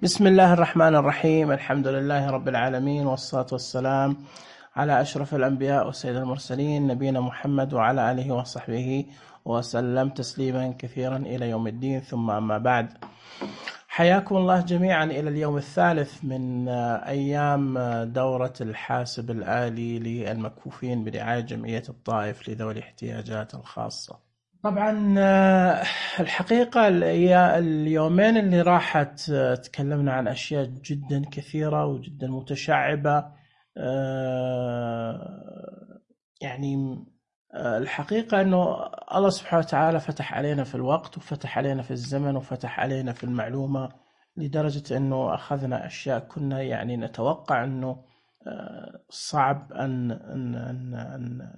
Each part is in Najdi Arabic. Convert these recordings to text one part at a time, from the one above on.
بسم الله الرحمن الرحيم. الحمد لله رب العالمين، والصلاة والسلام على أشرف الأنبياء وسيد المرسلين، نبينا محمد وعلى آله وصحبه وسلم تسليما كثيرا إلى يوم الدين. ثم أما بعد، حياكم الله جميعا إلى اليوم الثالث من أيام دورة الحاسب الآلي للمكفوفين برعاية جمعية الطائف لذوي الاحتياجات الخاصة. طبعا الحقيقة اليومين اللي راحت تكلمنا عن أشياء جدا كثيرة وجدا متشعبة. يعني الحقيقة أنه الله سبحانه وتعالى فتح علينا في الوقت، وفتح علينا في الزمن، وفتح علينا في المعلومة، لدرجة أنه أخذنا أشياء كنا يعني نتوقع أنه صعب أن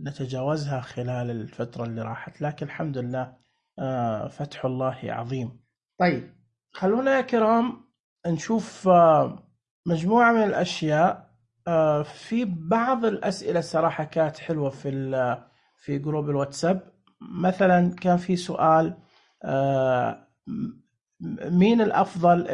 نتجاوزها خلال الفترة اللي راحت، لكن الحمد لله فتح الله عظيم. طيب، خلونا يا كرام نشوف مجموعة من الأشياء. في بعض الأسئلة صراحة كانت حلوة في جروب الواتساب. مثلا كان في سؤال: مين الأفضل،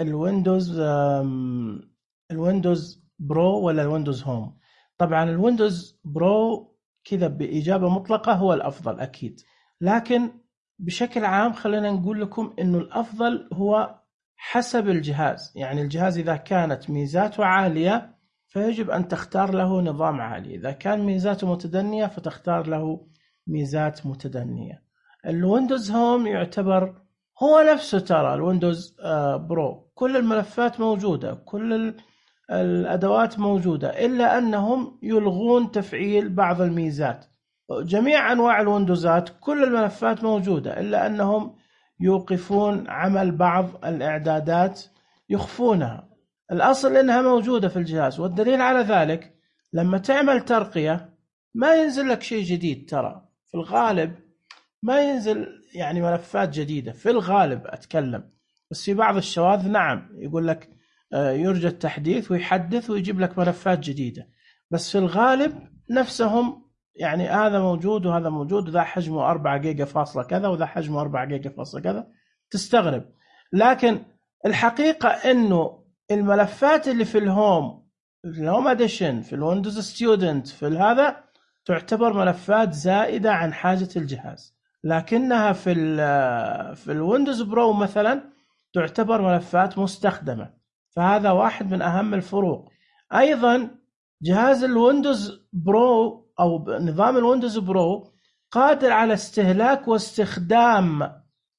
الويندوز برو ولا الويندوز هوم؟ طبعا الويندوز برو كذا بإجابة مطلقة هو الأفضل أكيد، لكن بشكل عام خلينا نقول لكم إنه الأفضل هو حسب الجهاز. يعني الجهاز إذا كانت ميزاته عالية فيجب أن تختار له نظام عالي، إذا كان ميزاته متدنية فتختار له ميزات متدنية. الويندوز هوم يعتبر هو نفسه، ترى الويندوز برو كل الملفات موجودة، كل الأدوات موجودة، إلا أنهم يلغون تفعيل بعض الميزات. جميع أنواع الويندوزات كل الملفات موجودة، إلا أنهم يوقفون عمل بعض الإعدادات، يخفونها. الأصل إنها موجودة في الجهاز، والدليل على ذلك لما تعمل ترقية ما ينزل لك شيء جديد. ترى في الغالب ما ينزل يعني ملفات جديدة في الغالب أتكلم، بس في بعض الشواذ نعم يقول لك يرجى التحديث ويحدث ويجيب لك ملفات جديدة، بس في الغالب نفسهم، يعني هذا موجود وهذا موجود، وذا حجمه 4 جيجا فاصلة كذا وذا حجمه 4 جيجا فاصلة كذا، تستغرب. لكن الحقيقة إنه الملفات اللي في الهوم اديشن، في الويندوز ستودنت، في هذا تعتبر ملفات زائدة عن حاجة الجهاز، لكنها في الويندوز برو مثلا تعتبر ملفات مستخدمة. فهذا واحد من أهم الفروق. أيضا جهاز الويندوز برو أو نظام الويندوز برو قادر على استهلاك واستخدام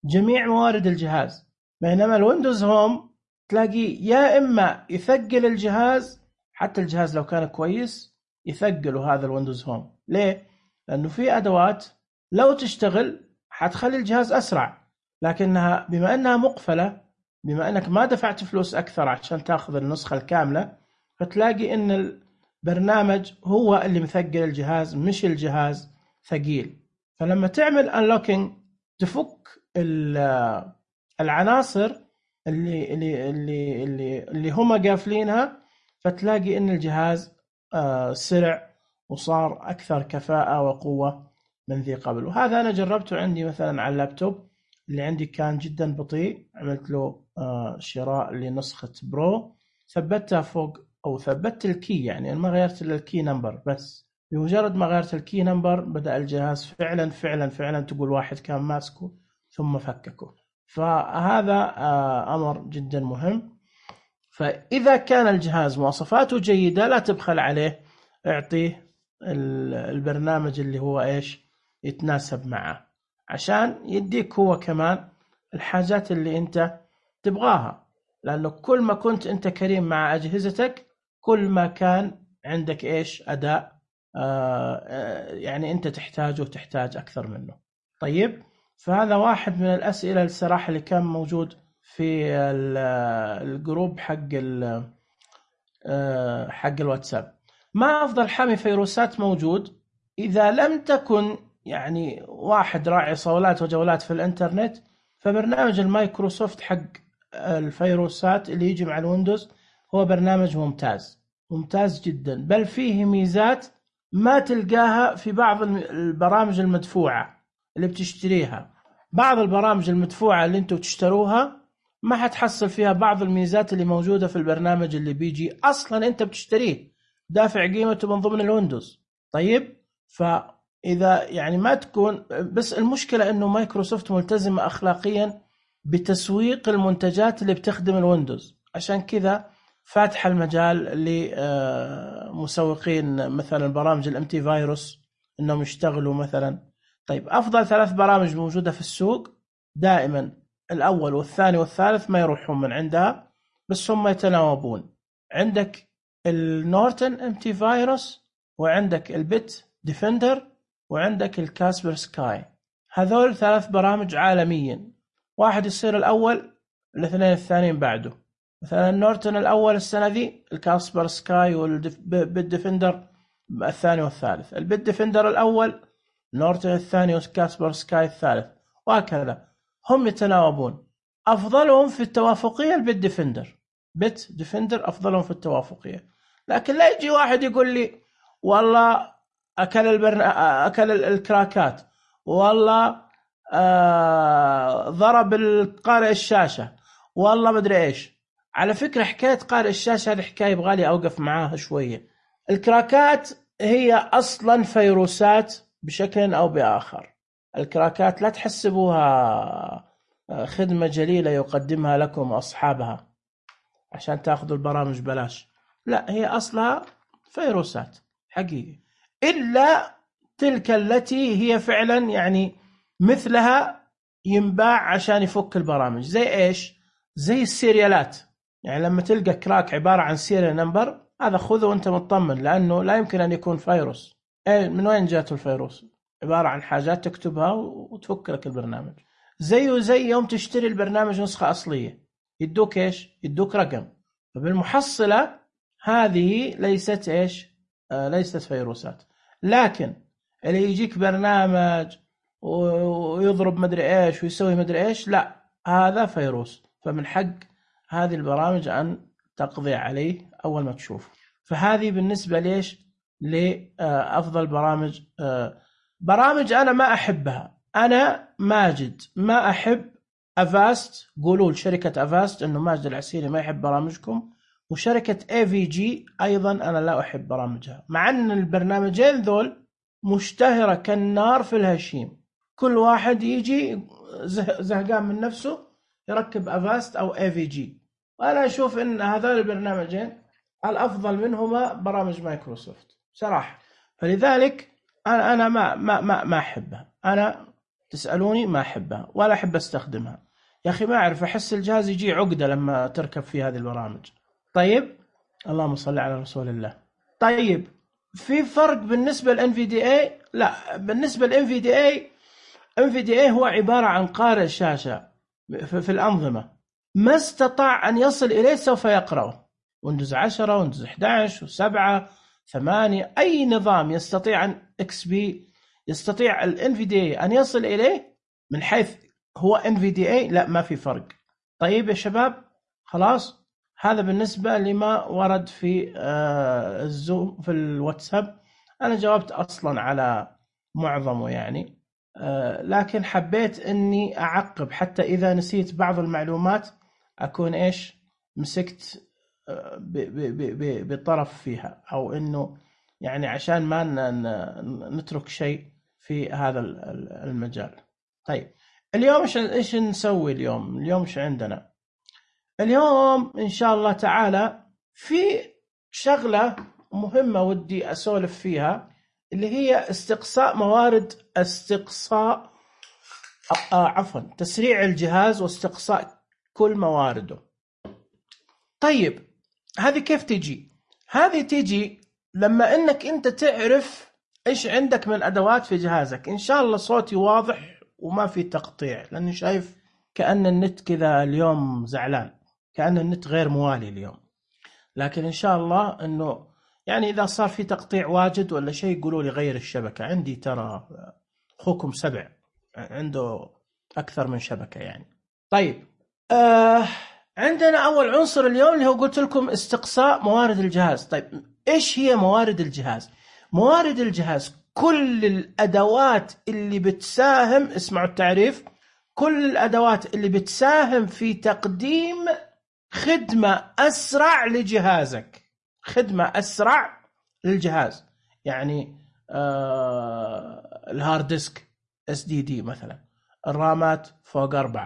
جميع موارد الجهاز، بينما الويندوز هوم تلاقي يا إما يثقل الجهاز، حتى الجهاز لو كان كويس يثقله هذا الويندوز هوم. ليه؟ لأنه في أدوات لو تشتغل حتخلي الجهاز أسرع، لكنها بما أنها مقفلة، بما أنك ما دفعت فلوس أكثر عشان تأخذ النسخة الكاملة، فتلاقي أن البرنامج هو اللي مثقل الجهاز مش الجهاز ثقيل. فلما تعمل unlocking تفك العناصر اللي هم قافلينها، فتلاقي أن الجهاز سرع وصار أكثر كفاءة وقوة من ذي قبل. وهذا أنا جربته عندي مثلا على اللابتوب اللي عندي كان جدا بطيء، عملت له شراء لنسخة برو، ثبتها فوق أو ثبت الكي، يعني ما غيرت إلا الكي نمبر بس. بمجرد ما غيرت الكي نمبر بدأ الجهاز فعلا فعلا فعلا تقول واحد كان ماسكه ثم فككه. فهذا أمر جدا مهم. فإذا كان الجهاز مواصفاته جيدة لا تبخل عليه، اعطيه البرنامج اللي هو إيش يتناسب معه، عشان يديك هو كمان الحاجات اللي أنت تبغاها. لأنه كل ما كنت أنت كريم مع أجهزتك كل ما كان عندك إيش أداء يعني أنت تحتاجه وتحتاج أكثر منه. طيب، فهذا واحد من الأسئلة الصراحة اللي كان موجود في الجروب حق الواتساب. ما أفضل حامي فيروسات موجود؟ إذا لم تكن يعني واحد راعي صولات وجولات في الإنترنت، فبرنامج المايكروسوفت حق الفيروسات اللي يجي مع الويندوز هو برنامج ممتاز ممتاز جدا، بل فيه ميزات ما تلقاها في بعض البرامج المدفوعة اللي بتشتريها. بعض البرامج المدفوعة اللي انتوا تشتروها ما حتحصل فيها بعض الميزات اللي موجودة في البرنامج اللي بيجي أصلا أنت بتشتريه دافع قيمته من ضمن الويندوز. طيب فإذا يعني ما تكون، بس المشكلة أنه مايكروسوفت ملتزمة أخلاقيا بتسويق المنتجات اللي بتخدم الويندوز، عشان كذا فاتح المجال لمسوقين مثلا برامج الانتي فيروس انهم يشتغلوا مثلا. طيب افضل 3 برامج موجودة في السوق دائما الاول والثاني والثالث ما يروحون من عندها، بس هم يتناوبون. عندك النورتن انتي فيروس، وعندك البيت ديفندر، وعندك الكاسبر سكاي. هذول 3 برامج عالميا، واحد يصير الاول الاثنين الثانيين بعده. مثلا النورتن الاول السنه ذي، الكاسبر سكاي والبيت ديفندر الثاني والثالث. البيت ديفندر الاول، نورتن الثاني، وكاسبر سكاي الثالث، وهكذا هم يتناوبون. افضلهم في التوافقيه البيت ديفندر، بيت ديفندر افضلهم في التوافقيه. لكن لا يجي واحد يقول لي والله اكل الكراكات، والله ضرب القارئ الشاشه، والله مدري ايش. على فكرة حكاية قارئ الشاشة هذه حكاية يبغالي أوقف معاها شوية. الكراكات هي أصلا فيروسات بشكل أو بآخر. الكراكات لا تحسبوها خدمة جليلة يقدمها لكم أصحابها عشان تأخذوا البرامج بلاش، لا، هي أصلها فيروسات حقيقي، إلا تلك التي هي فعلا يعني مثلها ينباع عشان يفك البرامج. زي إيش؟ زي السيريالات. يعني لما تلقى كراك عبارة عن سيريال نمبر، هذا خذه وانت مطمن، لأنه لا يمكن أن يكون فيروس. من وين جاته الفيروس؟ عبارة عن حاجات تكتبها وتفك لك البرنامج. زيه زي يوم تشتري البرنامج نسخة أصلية، يدوك إيش؟ يدوك رقم. فبالمحصلة هذه ليست إيش؟ ليست فيروسات. لكن اللي يجيك برنامج ويضرب مدري إيش ويسوي مدري إيش، لا، هذا فيروس. فمن حق هذه البرامج أن تقضي عليه أول ما تشوف. فهذه بالنسبة ليش لأفضل برامج. برامج أنا ما أحبها، أنا ماجد ما أحب أفاست. قولوا لشركة أفاست أنه ماجد العسيري ما يحب برامجكم، وشركة AVG أيضا أنا لا أحب برامجها، مع أن البرنامجين ذول مشتهرة كالنار في الهشيم. كل واحد يجي زهقان من نفسه يركب أفاست أو AVG، وأنا أشوف أن هذول البرنامجين الأفضل منهما برامج مايكروسوفت صراحة. فلذلك أنا ما أحبها. أنا تسألوني ما أحبها ولا أحب أستخدمها. يا أخي ما أعرف، أحس الجهاز يجي عقدة لما تركب فيه هذه البرامج. طيب اللهم صل على رسول الله. طيب في فرق بالنسبة للNVDA؟ لا، بالنسبة للNVDA هو عبارة عن قارئ شاشة في الأنظمة، ما استطاع أن يصل إليه سوف يقرأه. ويندوز 10 ويندوز 11 و7 8 أي نظام يستطيع أن XP يستطيع الNVDA أن يصل إليه من حيث هو NVDA. لا، ما في فرق. طيب يا شباب خلاص، هذا بالنسبة لما ورد في الزوم في الواتساب. أنا جاوبت أصلا على معظمه يعني، لكن حبيت أني أعقب حتى إذا نسيت بعض المعلومات أكون إيش مسكت بطرف فيها، أو أنه يعني عشان ما نترك شيء في هذا المجال. طيب اليوم إيش نسوي اليوم إيش عندنا اليوم؟ إن شاء الله تعالى في شغلة مهمة ودي أسولف فيها، اللي هي تسريع الجهاز واستقصاء كل موارده. طيب هذه كيف تجي؟ هذه تجي لما انك انت تعرف ايش عندك من ادوات في جهازك. ان شاء الله صوتي واضح وما في تقطيع، لاني شايف كأن النت كذا اليوم زعلان، كأن النت غير موالي اليوم. لكن ان شاء الله انه يعني اذا صار في تقطيع واجد ولا شيء قولوا لي غير الشبكة. عندي ترى اخوكم 7 عنده اكثر من شبكة يعني. طيب عندنا أول عنصر اليوم اللي هو قلت لكم استقصاء موارد الجهاز. طيب إيش هي موارد الجهاز؟ موارد الجهاز كل الأدوات اللي بتساهم، اسمعوا التعريف، كل الأدوات اللي بتساهم في تقديم خدمة أسرع لجهازك، خدمة أسرع للجهاز. يعني الهارد ديسك SDD مثلا، الرامات فوق 4،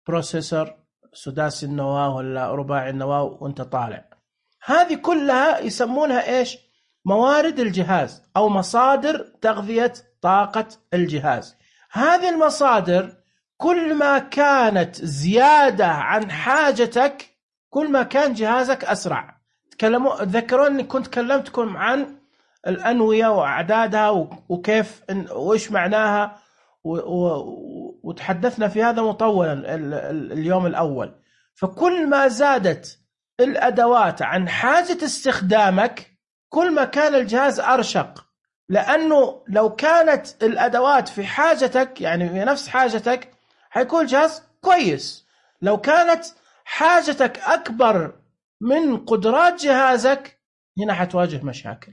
بروسيسور سداسي النواة ولا رباعي النواة وانت طالع. هذه كلها يسمونها إيش؟ موارد الجهاز أو مصادر تغذية طاقة الجهاز. هذه المصادر كل ما كانت زيادة عن حاجتك كل ما كان جهازك أسرع. تذكرون أني كنت كلمتكم عن الأنوية وأعدادها وكيف وإيش معناها، وتحدثنا في هذا مطولا اليوم الأول. فكل ما زادت الأدوات عن حاجة استخدامك كل ما كان الجهاز أرشق، لأنه لو كانت الأدوات في حاجتك يعني في نفس حاجتك حيكون الجهاز كويس. لو كانت حاجتك أكبر من قدرات جهازك هنا حتواجه مشاكل.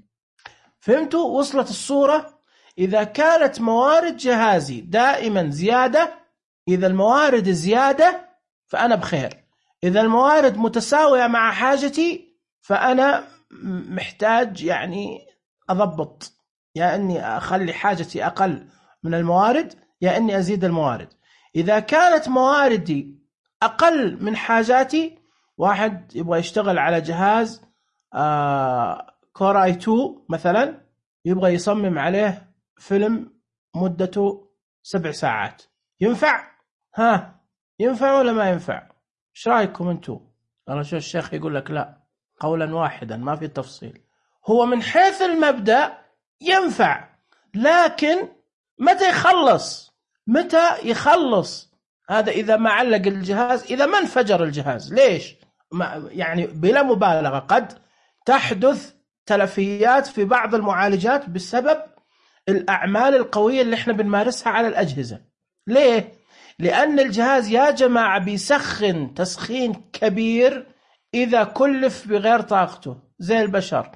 فهمتوا؟ وصلت الصورة؟ إذا كانت موارد جهازي دائما زيادة، إذا الموارد زيادة فأنا بخير. إذا الموارد متساوية مع حاجتي فأنا محتاج يعني أضبط، يا أني أخلي حاجتي أقل من الموارد يا أني أزيد الموارد. إذا كانت مواردي أقل من حاجاتي، واحد يبغى يشتغل على جهاز كور i2 مثلا، يبغى يصمم عليه فيلم مدته 7 ساعات، ينفع؟ ينفع ولا ما ينفع؟ ايش رايكم انتم؟ انا شو الشيخ يقول لك لا، قولا واحدا ما في تفصيل. هو من حيث المبدأ ينفع، لكن متى يخلص هذا؟ إذا ما علق الجهاز، إذا ما انفجر الجهاز. ليش؟ يعني بلا مبالغة قد تحدث تلفيات في بعض المعالجات بسبب الأعمال القوية اللي احنا بنمارسها على الأجهزة. ليه؟ لأن الجهاز يا جماعة بيسخن تسخين كبير إذا كلف بغير طاقته، زي البشر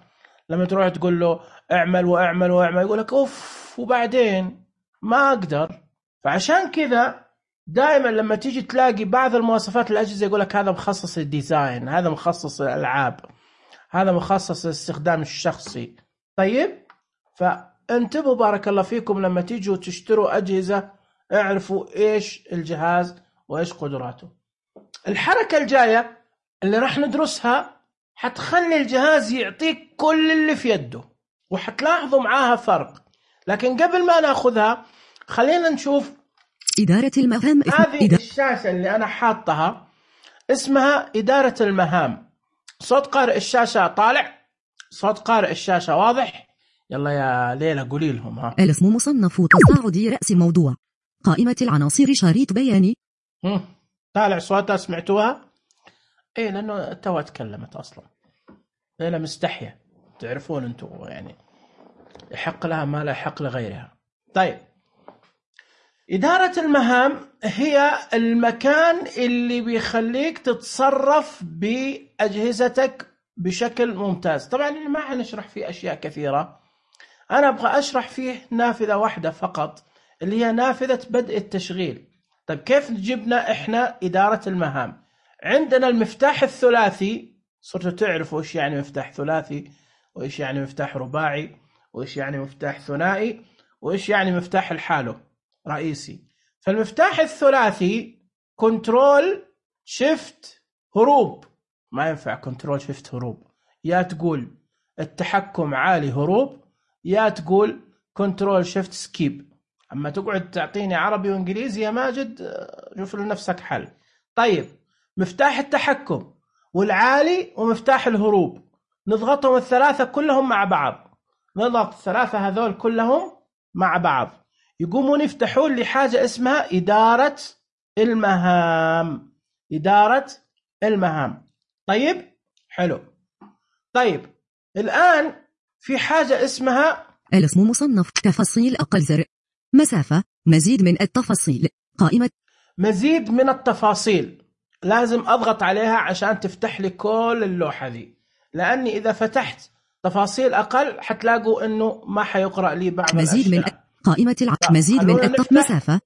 لما تروح تقول له اعمل واعمل واعمل يقول لك اوف وبعدين ما اقدر. فعشان كذا دائما لما تيجي تلاقي بعض المواصفات الأجهزة يقول لك هذا مخصص للديزاين، هذا مخصص للألعاب، هذا مخصص للاستخدام الشخصي. طيب فانتبهوا بارك الله فيكم لما تيجوا تشتروا أجهزة اعرفوا ايش الجهاز وايش قدراته. الحركة الجاية اللي راح ندرسها حتخلي الجهاز يعطيك كل اللي في يده وحتلاحظوا معاها فرق. لكن قبل ما ناخذها خلينا نشوف إدارة المهام. هذه الشاشة اللي أنا حاطها اسمها إدارة المهام. صوت قارئ الشاشة طالع؟ صوت قارئ الشاشة واضح؟ يلا يا ليلى قولي لهم. الاسم مصنف تصاعدي رأس موضوع قائمة العناصر شريط بياني. طالع صوتها؟ سمعتوها؟ ايه لأنه توا تكلمت أصلا. ليلى مستحية، تعرفون أنتم يعني يحق لها ما لا يحق لغيرها. طيب إدارة المهام هي المكان اللي بيخليك تتصرف بأجهزتك بشكل ممتاز. طبعا ما حنشرح فيه أشياء كثيرة، أنا أبغى أشرح فيه نافذة واحدة فقط اللي هي نافذة بدء التشغيل. طيب كيف جبنا إحنا إدارة المهام؟ عندنا المفتاح الثلاثي، صرتوا تعرفوا إيش يعني مفتاح ثلاثي وإيش يعني مفتاح رباعي وإيش يعني مفتاح ثنائي وإيش يعني مفتاح الحالة رئيسي. فالمفتاح الثلاثي كنترول شيفت هروب، ما ينفع كنترول شيفت هروب، يا تقول التحكم عالي هروب يا تقول كنترول شيفت سكيب. أما تقعد تعطيني عربي وإنجليزي يا ماجد شوف لنفسك حل. طيب مفتاح التحكم والعالي ومفتاح الهروب نضغطهم الثلاثة كلهم مع بعض، نضغط الثلاثة هذول كلهم مع بعض يقومون يفتحون لي حاجة اسمها إدارة المهام. إدارة المهام. طيب حلو. طيب الآن في حاجة اسمها الاسم مصنف تفاصيل أقل زر مسافة مزيد من التفاصيل قائمة مزيد من التفاصيل. لازم أضغط عليها عشان تفتح لي كل اللوحة دي، لأني إذا فتحت تفاصيل أقل حتلاقوا إنه ما حيقرأ لي بعض مزيد الأشياء. من قائمة مزيد من مسافة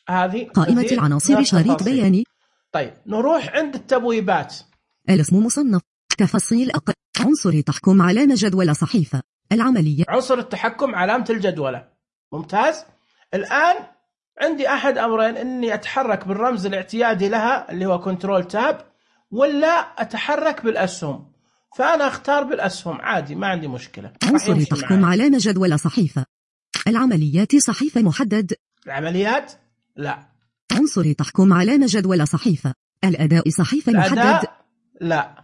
هذه قائمة مزيد العناصر من شريط التفاصيل. بياني. طيب نروح عند التبويبات. الاسم مصنف. تفاصيل أقل. عنصر تحكم علامة جدول صحيفة. العملية. عنصر التحكم علامة الجدولة. ممتاز. الآن عندي أحد أمرين، إني أتحرك بالرمز الاعتيادي لها اللي هو كنترول تاب، ولا أتحرك بالأسهم. فأنا أختار بالأسهم عادي، ما عندي مشكلة. عنصر تحكم علامة جدول صحيفة. العمليات صحيفة محدد. العمليات لا. عنصر تحكم علامة جدول صحيفة. الأداء صحيفة محدد. لا.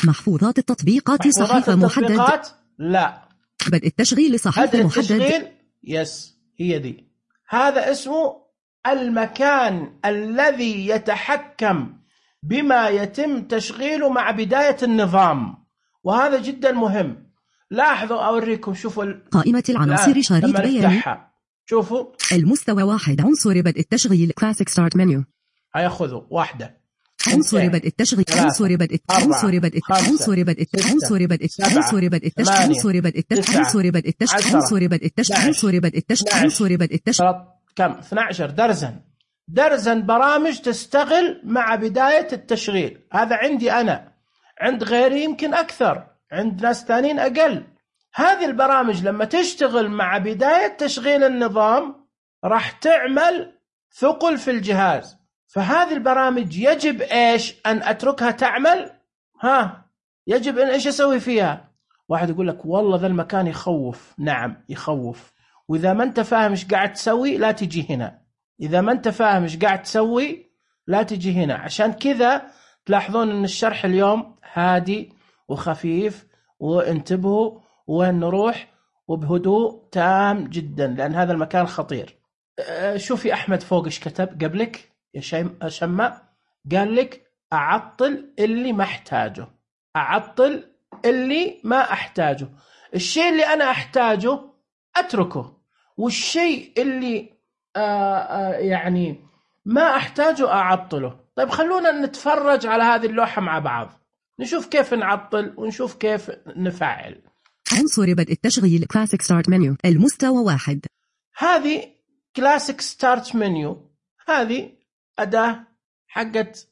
محفوظات التطبيقات صحيفة محدد. لا. بدء التشغيل صحيفة محدد. التشغيل يس، هي دي. هذا اسمه المكان الذي يتحكم بما يتم تشغيله مع بداية النظام، وهذا جدا مهم. لاحظوا أوريكم، شوفوا قائمة العناصر شريط بياني. شوفوا المستوى 1 عنصر بدء التشغيل Classic Start Menu. هياخذوا واحدة. عنصر بدء التشغيل. عنصر بدء عنصر بدء عنصر بدء عنصر بدء عنصر بدء التشغيل. عنصر بدء التشغيل. عنصر بدء التشغيل. عنصر بدء التشغيل. عنصر بدء التشغيل. عنصر بدء التشغيل. كم 12 درزن برامج تشتغل مع بداية التشغيل. هذا عندي أنا، عند غيري يمكن أكثر، عند ناس ثانيين أقل. هذه البرامج لما تشتغل مع بداية تشغيل النظام راح تعمل ثقل في الجهاز. فهذه البرامج يجب إيش؟ أن أتركها تعمل. يجب أن إيش أسوي فيها؟ واحد يقول لك والله ذا المكان يخوف. نعم يخوف، وإذا ما أنت فاهم إيش قاعد تسوي لا تجي هنا. إذا ما أنت فاهم إيش قاعد تسوي لا تجي هنا. عشان كذا تلاحظون أن الشرح اليوم هادي وخفيف، وانتبهوا وين نروح وبهدوء تام جدا، لأن هذا المكان خطير. شوفي أحمد فوق إيش كتب قبلك يا شمع، قال لك أعطل اللي ما أحتاجه. أعطل اللي ما أحتاجه. الشيء اللي أنا أحتاجه أتركه، والشيء اللي يعني ما أحتاجه أعطله. طيب خلونا نتفرج على هذه اللوحة مع بعض، نشوف كيف نعطل ونشوف كيف نفعل. عنصر بدء التشغيل Classic Start Menu. المستوى 1. هذه Classic Start Menu، هذه أداة حقت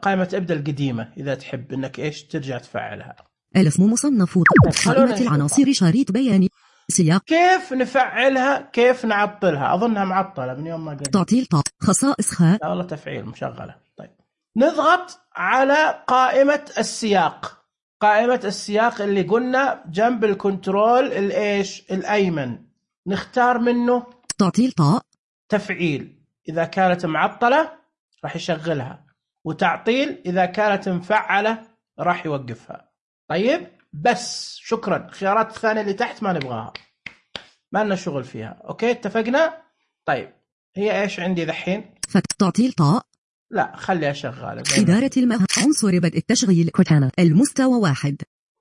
قائمة ابدأ القديمة، إذا تحب إنك إيش ترجع تفعلها. الاسم مصنف. قائمة العناصر شريط بياني. سياق. كيف نفعلها، كيف نعطلها؟ أظنها معطلة من يوم ما قلت. تعطيل خصائص لا والله تفعيل مشغلة. طيب نضغط على قائمة السياق. قائمة السياق اللي قلنا جنب الكنترول الإيش الأيمن، نختار منه تعطيل تفعيل. إذا كانت معطلة راح يشغلها، وتعطيل إذا كانت مفعلة راح يوقفها. طيب بس شكرا. الخيارات الثانية اللي تحت ما نبغاها، ما لنا شغل فيها. أوكي اتفقنا. طيب هي إيش عندي ذحين؟ تعطيل لا خليها شغالة. إدارة المهام. عنصر بدء التشغيل كورتانا. المستوى 1.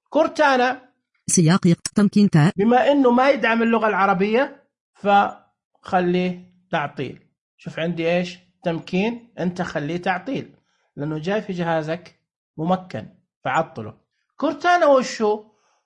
كورتانا سياق تمكين بما إنه ما يدعم اللغة العربية فخليه تعطيل. شوف عندي إيش تمكين، أنت خليه تعطيل لأنه جاي في جهازك ممكن فعطله. كورتانا وشو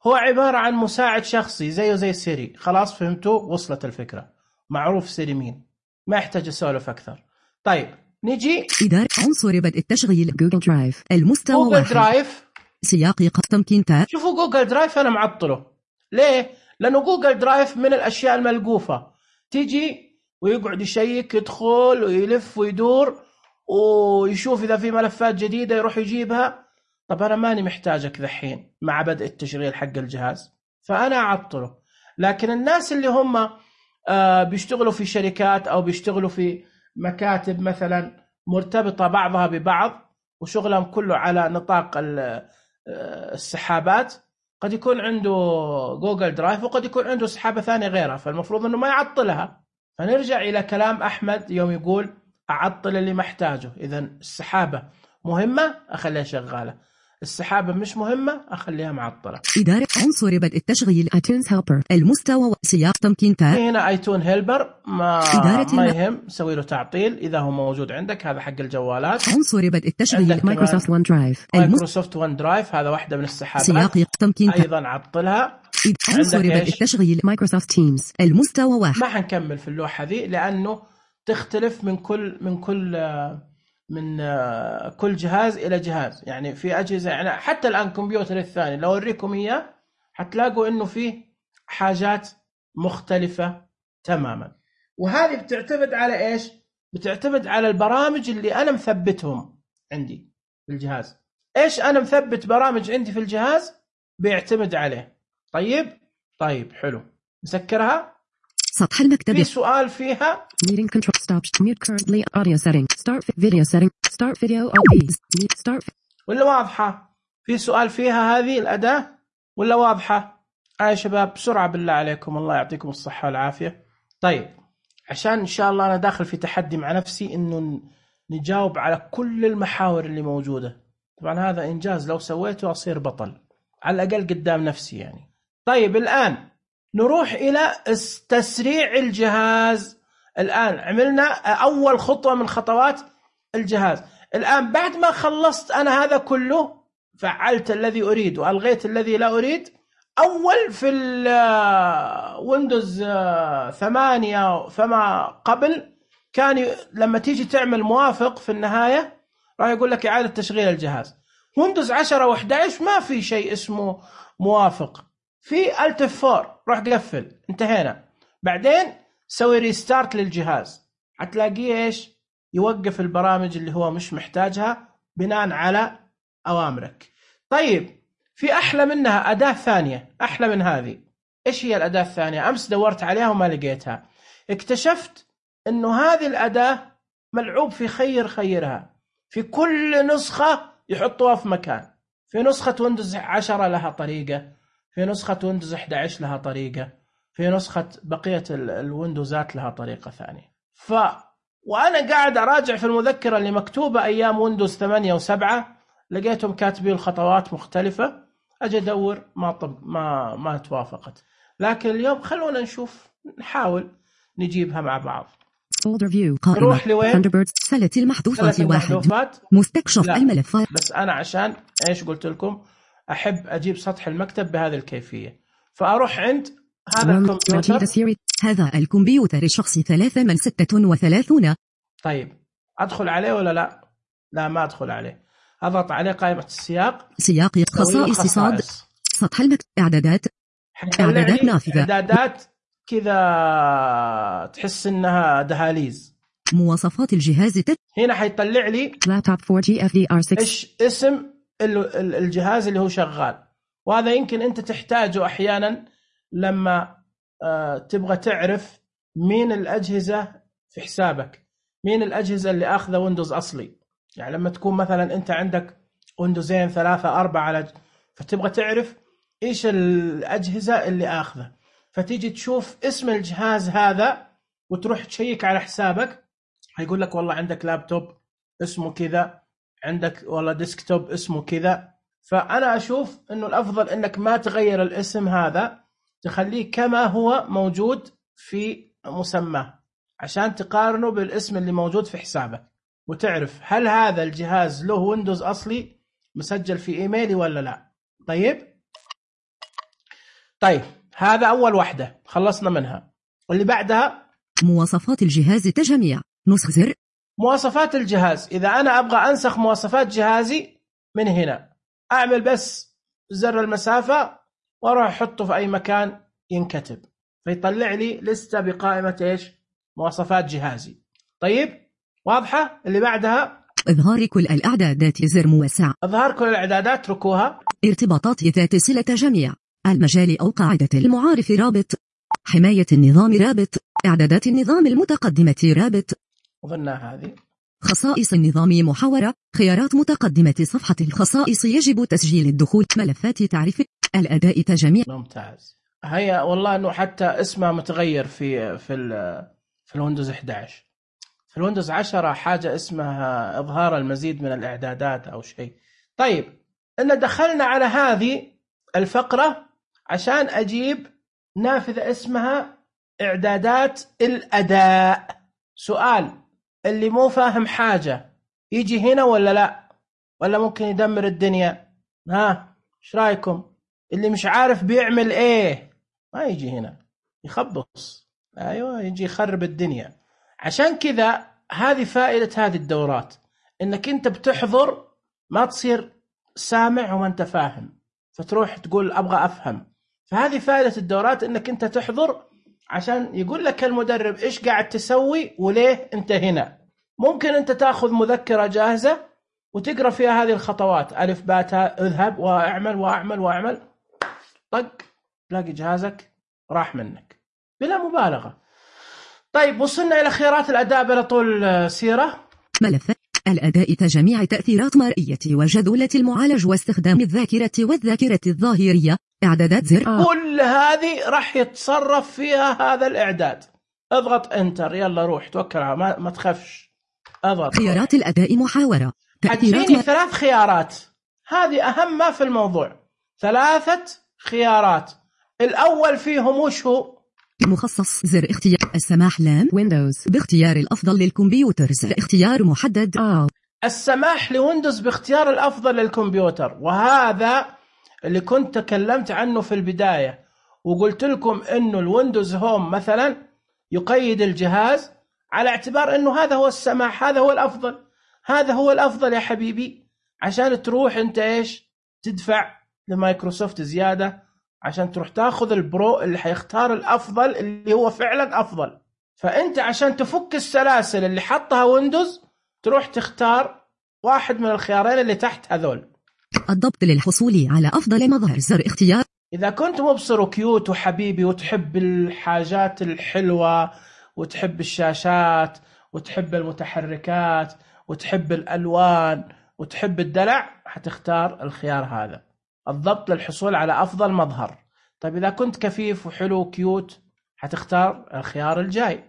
هو؟ عبارة عن مساعد شخصي زيه زي سيري. خلاص فهمتوا؟ وصلت الفكرة. معروف سيري مين، ما يحتاج أسولف أكثر. طيب نجي إدارة. عنصر بدء التشغيل جوجل درايف. المستوى جوجل 1. درايف. سياق تمكين شوفوا جوجل درايف أنا معطله. ليه؟ لأنه جوجل درايف من الأشياء الملقوفة. تيجي ويقعد يشيك، يدخل ويلف ويدور ويشوف إذا في ملفات جديدة يروح يجيبها. طب أنا ماني محتاجك ذحين مع بدء التشغيل حق الجهاز، فأنا أعطله. لكن الناس اللي هم بيشتغلوا في شركات أو بيشتغلوا في مكاتب مثلا مرتبطة بعضها ببعض وشغلهم كله على نطاق السحابات، قد يكون عنده جوجل درايف وقد يكون عنده سحابة ثانية غيرها، فالمفروض أنه ما يعطلها. فنرجع إلى كلام أحمد يوم يقول أعطل اللي محتاجه. إذن السحابة مهمة أخليها شغالة، السحابة مش مهمة أخليها معطلة. إدارة. عنصر بدء التشغيل iTunes Helper. المستوى سياق تمكين هنا ايتون هيلبر ما يهم، سوي له تعطيل إذا هو موجود عندك. هذا حق الجوالات. عنصر بدء التشغيل مايكروسوفت ون درايف. مايكروسوفت ون درايف هذا واحدة من السحابات. سياق تمكين أيضا عطلها. عنصر بدء التشغيل مايكروسوفت تيمز. المستوى 1. ما حنكمل في اللوحة ذي لأنه تختلف من كل جهاز إلى جهاز. يعني في أجهزة، يعني حتى الآن كمبيوتر الثاني لو أوريكم إياه حتلاقوا إنه فيه حاجات مختلفة تماما. وهذه بتعتمد على إيش؟ بتعتمد على البرامج اللي أنا مثبتهم عندي في الجهاز. إيش أنا مثبت برامج عندي في الجهاز بيعتمد عليه. طيب حلو، نسكرها. سطح المكتب. في سؤال فيها meeting control stop mute currently audio setting start video setting start video OPs start ولا واضحة؟ في سؤال فيها هذه الأداة ولا واضحة؟ يا شباب بسرعة بالله عليكم، الله يعطيكم الصحة والعافية. طيب عشان إن شاء الله أنا داخل في تحدي مع نفسي إنه نجاوب على كل المحاور اللي موجودة. طبعا هذا إنجاز لو سويته أصير بطل على الأقل قدام نفسي يعني. طيب الآن نروح إلى تسريع الجهاز. الآن عملنا أول خطوة من خطوات الجهاز. الآن بعد ما خلصت أنا هذا كله، فعلت الذي أريد وألغيت الذي لا أريد. أول في ويندوز 8 فما قبل كان لما تيجي تعمل موافق في النهاية راح يقول لك إعادة تشغيل الجهاز. ويندوز 10 و11 ما في شيء اسمه موافق، في ألت F4 روح قفل، انتهينا. بعدين سوي ريستارت للجهاز، هتلاقيه إيش؟ يوقف البرامج اللي هو مش محتاجها بناء على أوامرك. طيب في أحلى منها أداة ثانية، أحلى من هذه. إيش هي الأداة الثانية؟ أمس دورت عليها وما لقيتها. اكتشفت إنه هذه الأداة ملعوب في خيرها. في كل نسخة يحطوها في مكان. في نسخة ويندوز 10 لها طريقة، في نسخة ويندوز 11 لها طريقة، في نسخة بقية الويندوزات لها طريقة ثانية. وأنا قاعد أراجع في المذكرة اللي مكتوبة أيام ويندوز 8 و7 لقيتهم كاتبين الخطوات مختلفة. أجي أدور ما توافقت. لكن اليوم خلونا نشوف، نحاول نجيبها مع بعض. نروح لوين؟ سلة المحذوفات 1 مستكشف الملفات. بس أنا عشان إيش قلت لكم أحب أجيب سطح المكتب بهذه الكيفية، فأروح عند هذا الكمبيوتر. هذا الكمبيوتر الشخصي 3 من 36. طيب أدخل عليه ولا لا؟ لا ما أدخل عليه. أضغط عليه قائمة السياق، سياق خصائص صاد، سطح المكتب، إعدادات نافذة، إعدادات كذا تحس إنها دهاليز. مواصفات الجهاز هنا حيطلع لي لابتوب 4G FDR6 إيش اسم الجهاز اللي هو شغال. وهذا يمكن أنت تحتاجه أحيانا لما تبغى تعرف مين الأجهزة في حسابك، مين الأجهزة اللي أخذ ويندوز أصلي. يعني لما تكون مثلا أنت عندك ويندوزين 3 4 على فتبغى تعرف إيش الأجهزة اللي أخذه، فتيجي تشوف اسم الجهاز هذا وتروح تشيك على حسابك. هيقول لك والله عندك لابتوب اسمه كذا، عندك والله ديسكتوب اسمه كذا. فأنا أشوف إنه الأفضل إنك ما تغير الاسم هذا، تخليه كما هو موجود في مسماه عشان تقارنه بالاسم اللي موجود في حسابك وتعرف هل هذا الجهاز له ويندوز أصلي مسجل في إيميلي ولا لا. طيب هذا أول واحدة خلصنا منها. واللي بعدها مواصفات الجهاز تجميع، نسخ زر. مواصفات الجهاز، إذا أنا أبغى أنسخ مواصفات جهازي من هنا أعمل بس زر المسافة وأروح أحطه في أي مكان ينكتب، فيطلع لي لستة بقائمة إيش؟ مواصفات جهازي. طيب واضحة؟ اللي بعدها إظهار كل الإعدادات، زر موسع. إظهار كل الإعدادات ركوها. ارتباطات ذات صلة جميع، المجال أو قاعدة المعارف رابط، حماية النظام رابط، إعدادات النظام المتقدمة رابط. وظنها هذه خصائص النظام محاورة، خيارات متقدمة صفحة الخصائص يجب تسجيل الدخول، ملفات تعريف الأداء تجميع. ممتاز. هيا والله إنه حتى اسمها متغير في الويندوز 11. في الويندوز 10 حاجة اسمها إظهار المزيد من الإعدادات أو شيء. طيب إن دخلنا على هذه الفقرة عشان أجيب نافذة اسمها إعدادات الأداء. سؤال، اللي مو فاهم حاجة يجي هنا ولا لا؟ ولا ممكن يدمر الدنيا؟ إيش رأيكم؟ اللي مش عارف بيعمل إيه ما يجي هنا يخبص. أيوة يجي يخرب الدنيا. عشان كذا هذه فائدة هذه الدورات، إنك أنت بتحضر ما تصير سامع وما أنت فاهم فتروح تقول أبغى أفهم. فهذه فائدة الدورات، إنك أنت تحضر عشان يقول لك المدرب إيش قاعد تسوي وليه أنت هنا. ممكن أنت تأخذ مذكرة جاهزة وتقرأ فيها هذه الخطوات، ألف باء تاء، اذهب واعمل واعمل واعمل، طق تلاقي جهازك راح منك بلا مبالغة. طيب وصلنا إلى خيارات الأداء بلا طول سيرة. ملف الأداء كجميع تأثيرات مرئية وجدولة المعالج واستخدام الذاكرة والذاكرة الظاهرية. إعدادات زر كل هذه راح يتصرف فيها هذا الإعداد. اضغط انتر، يلا روح توكل على ما تخافش، اضغط. خيارات الأداء محاورة. حتجيني 3 خيارات، هذه أهم ما في الموضوع، 3 خيارات. الأول فيهم وش هو؟ مخصص زر اختيار السماح لام ويندوز باختيار الأفضل للكمبيوتر، زر اختيار محدد السماح لويندوز باختيار الأفضل للكمبيوتر. وهذا اللي كنت تكلمت عنه في البداية وقلت لكم إنه الويندوز هوم مثلا يقيد الجهاز على اعتبار إنه هذا هو السماح، هذا هو الأفضل، هذا هو الأفضل يا حبيبي، عشان تروح أنت إيش تدفع لمايكروسوفت زيادة عشان تروح تاخذ البرو اللي حيختار الأفضل اللي هو فعلا أفضل. فأنت عشان تفك السلاسل اللي حطها ويندوز تروح تختار واحد من الخيارين اللي تحت هذول. الضبط للحصول على أفضل مظهر، زر اختيار. إذا كنت مبصر وكيوت وحبيبي وتحب الحاجات الحلوة وتحب الشاشات وتحب المتحركات وتحب الألوان وتحب الدلع، حتختار الخيار هذا، الضبط للحصول على أفضل مظهر. طيب إذا كنت كفيف وحلو وكيوت حتختار الخيار الجاي،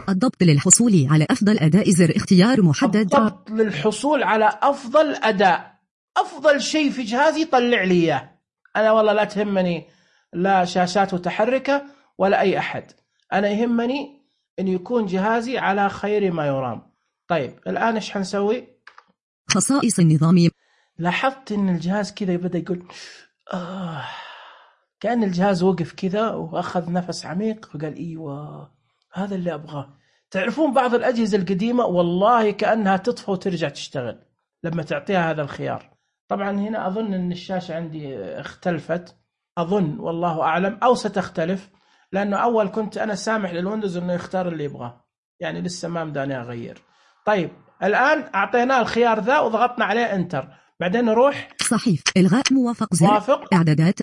الضبط للحصول على أفضل أداء، زر اختيار محدد. الضبط للحصول على أفضل أداء، أفضل شيء في جهازي طلع لي إياه أنا، والله لا تهمني لا شاشات متحركة ولا أي أحد، أنا يهمني أن يكون جهازي على خير ما يرام. طيب الآن إيش حنسوي؟ خصائص النظام. لاحظت أن الجهاز كذا بدأ يقول كأن الجهاز وقف كذا وأخذ نفس عميق وقال إيوه هذا اللي أبغاه. تعرفون بعض الأجهزة القديمة والله كأنها تطفى وترجع تشتغل لما تعطيها هذا الخيار. طبعا هنا أظن أن الشاشة عندي اختلفت، أظن والله أعلم، أو ستختلف، لأنه أول كنت أنا سامح للويندوز أنه يختار اللي يبغاه، يعني لسه ما مداني أغير. طيب الآن أعطيناه الخيار ذا وضغطنا عليه انتر، بعدين نروح صحيف إلغاء موافق، زر موافق، إعدادات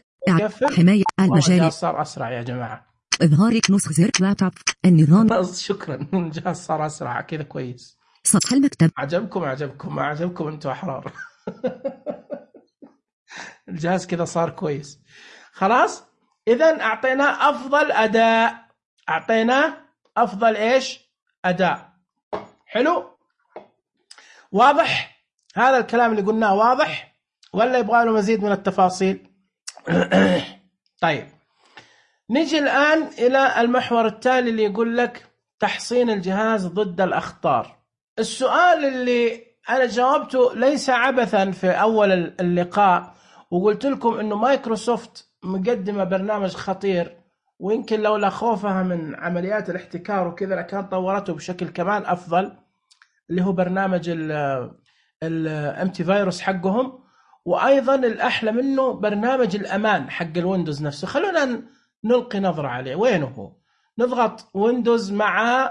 حماية المجال. صار أسرع يا جماعة، إظهار نسخ، زر لابتوب النظام. شكرا الجهاز صار أسرع كذا كويس. سطح المكتب. عجبكم ما عجبكم أنتوا أحرار. الجهاز كذا صار كويس خلاص. إذن أعطيناه أفضل أداء، أعطيناه أفضل إيش أداء. حلو، واضح هذا الكلام اللي قلناه؟ واضح ولا يبغى له مزيد من التفاصيل؟ طيب نجي الآن إلى المحور التالي اللي يقول لك تحصين الجهاز ضد الأخطار. السؤال اللي أنا جاوبته ليس عبثا في أول اللقاء، وقلت لكم إنه مايكروسوفت مقدمة برنامج خطير، ويمكن لولا خوفها من عمليات الاحتكار وكذا لكان طورته بشكل كمان أفضل، اللي هو برنامج الانتي فيروس حقهم، وأيضا الأحلى منه برنامج الأمان حق الويندوز نفسه. خلونا نلقي نظرة عليه، وينه هو؟ نضغط ويندوز مع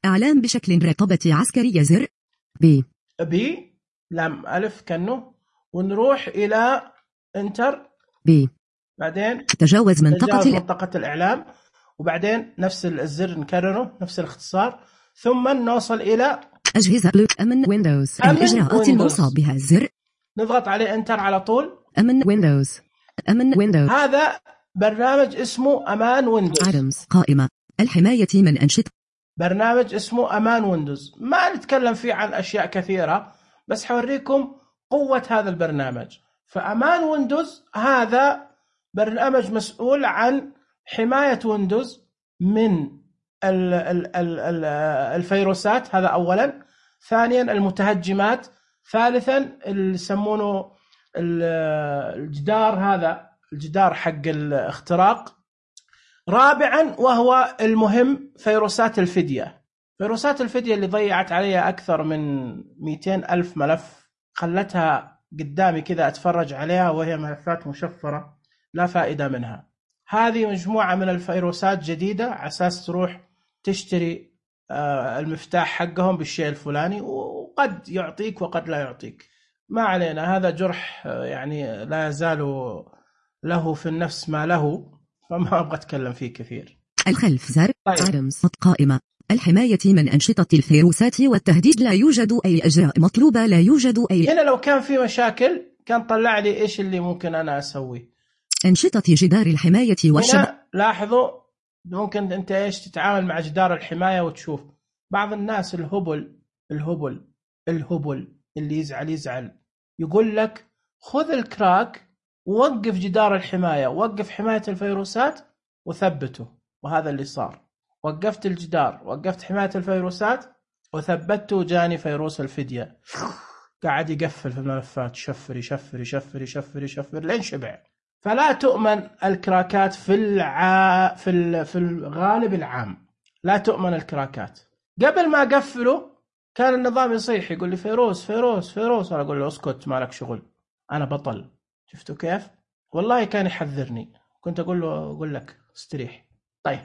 إعلام بشكل رقابة عسكرية، زر بي لام ألف كأنه، ونروح إلى انتر، بعدين تجاوز منطقة الإعلام، وبعدين نفس الزر نكرره نفس الاختصار، ثم نوصل إلى أجهزة أمن ويندوز، الإجراءات الموصى بها، زر نضغط عليه انتر على طول. أمن ويندوز، أمن ويندوز، هذا برنامج اسمه أمان ويندوز، قائمة الحماية من أنشطة، برنامج اسمه أمان ويندوز. ما نتكلم فيه عن أشياء كثيرة، بس حوريكم قوة هذا البرنامج. فأمان ويندوز هذا برنامج مسؤول عن حماية ويندوز من الفيروسات، هذا أولا. ثانيا المتهجمات. ثالثا اللي يسمونه الجدار، هذا الجدار حق الاختراق. رابعا وهو المهم فيروسات الفدية. فيروسات الفدية اللي ضيعت علي أكثر من 200,000 ملف، خلتها قدامي كذا أتفرج عليها وهي ملفات مشفرة لا فائدة منها. هذه مجموعة من الفيروسات جديدة على أساس تروح تشتري المفتاح حقهم بالشيء الفلاني، وقد يعطيك وقد لا يعطيك، ما علينا. هذا جرح يعني لا يزال له في النفس ما له، فما أبغى أتكلم فيه كثير. الخلف زر آدمز قائمة الحماية من أنشطة الفيروسات والتهديد، لا يوجد أي إجراء مطلوبة، لا يوجد أي. هنا لو كان في مشاكل كان طلع لي إيش اللي ممكن أنا أسوي. أنشطة جدار الحماية هنا لاحظوا ممكن أنت إيش تتعامل مع جدار الحماية وتشوف بعض الناس الهبل اللي يزعل يقول لك خذ الكراك ووقف جدار الحماية، وقف حماية الفيروسات وثبته. وهذا اللي صار، وقفت الجدار، وقفت حماية الفيروسات وثبته، وجاني فيروس الفدية قاعد يقفل في الملفات، يشفر لين شبع. فلا تؤمن الكراكات في الغالب العام، لا تؤمن الكراكات. قبل ما أقفله كان النظام يصيح يقول لي فيروس، أنا أقول له اسكت ما لك شغل، أنا بطل. شفتوا كيف؟ والله كان يحذرني، كنت أقول لك استريح. طيب